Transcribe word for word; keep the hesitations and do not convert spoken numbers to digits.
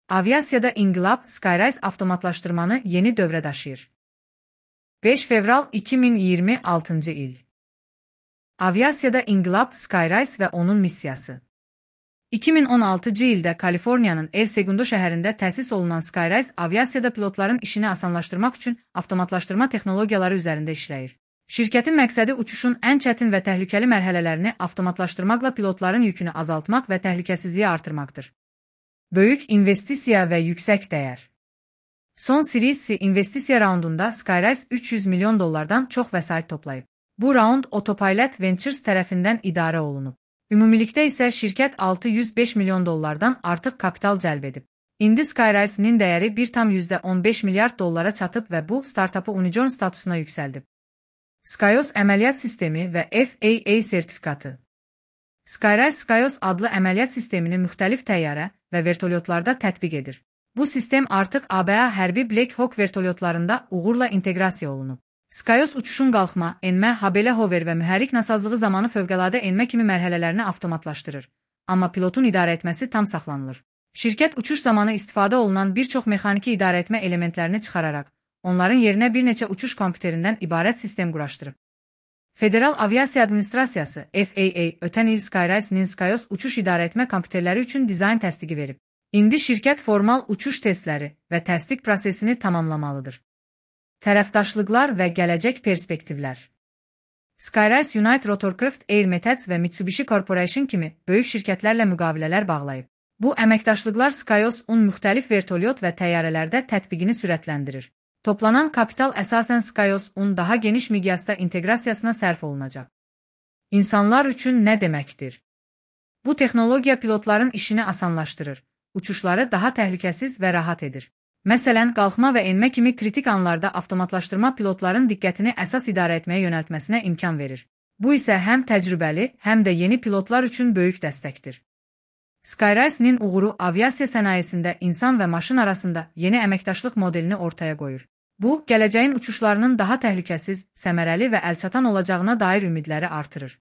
Aviasiyada inqilab Skyrise avtomatlaşdırmanı yeni dövrə daşıyır. beş fevral iki min iyirmi altıncı il. Aviasiyada inqilab Skyrise və onun missiyası. iki min on altıncı ildə Kaliforniyanın El Segundo şəhərində təsis olunan Skyrise aviasiyada pilotların işini asanlaşdırmaq üçün avtomatlaşdırma texnologiyaları üzərində işləyir. Şirkətin məqsədi uçuşun ən çətin və təhlükəli mərhələlərini avtomatlaşdırmaqla pilotların yükünü azaltmaq və təhlükəsizliyi artırmaqdır. Böyük investisiya və yüksək dəyər. Son Series C investisiya raundunda Skyrise üç yüz milyon dollardan çox vəsait toplayıb. Bu raund Autopilot Ventures tərəfindən idarə olunub. Ümumilikdə isə şirkət altı yüz beş milyon dollardan artıq kapital cəlb edib. İndi Skyrise'nin dəyəri bir tam yüzdə on beş milyard dollara çatıb və bu startupı unicorn statusuna yüksəldib. Skyos əməliyyat sistemi və F A A sertifikatı. Skyrise Skyos adlı əməliyyat sistemini müxtəlif təyyarə və vertolyotlarda tətbiq edir. Bu sistem artıq A B A hərbi Black Hawk vertolyotlarında uğurla inteqrasiya olunub. Skyos uçuşun qalxma, enmə, habelə hover və mühərrik nasazlığı zamanı fövqəladə enmə kimi mərhələlərini avtomatlaşdırır. Amma pilotun idarə etməsi tam saxlanılır. Şirkət uçuş zamanı istifadə olunan bir çox mexaniki idarə etmə elementlərini çıxararaq, onların yerinə bir neçə uçuş kompüterindən ibarət sistem quraşdırıb. Federal Aviasiya Administrasiyası F A A ötən il Skyrise'nin Skyos uçuş idarə etmə kompüterləri üçün dizayn təsdiqi verib. İndi şirkət formal uçuş testləri və təsdiq prosesini tamamlamalıdır. Tərəfdaşlıqlar və gələcək perspektivlər. Skyrise United Rotorcraft Air Methods və Mitsubishi Corporation kimi böyük şirkətlərlə müqavilələr bağlayıb. Bu əməkdaşlıqlar Skyos-un müxtəlif vertolyot və təyyarələrdə tətbiqini sürətləndirir. Toplanan kapital əsasən Skyos-un daha geniş miqyasda inteqrasiyasına sərf olunacaq. İnsanlar üçün nə deməkdir? Bu texnologiya pilotların işini asanlaşdırır, uçuşları daha təhlükəsiz və rahat edir. Məsələn, qalxma və enmə kimi kritik anlarda avtomatlaşdırma pilotların diqqətini əsas idarə etməyə yönəltməsinə imkan verir. Bu isə həm təcrübəli, həm də yeni pilotlar üçün böyük dəstəkdir. Skyrise'nin uğuru aviasiya sənayesində insan və maşın arasında yeni əməkdaşlıq modelini ortaya qoyur. Bu, gələcəyin uçuşlarının daha təhlükəsiz, səmərəli və əlçatan olacağına dair ümidləri artırır.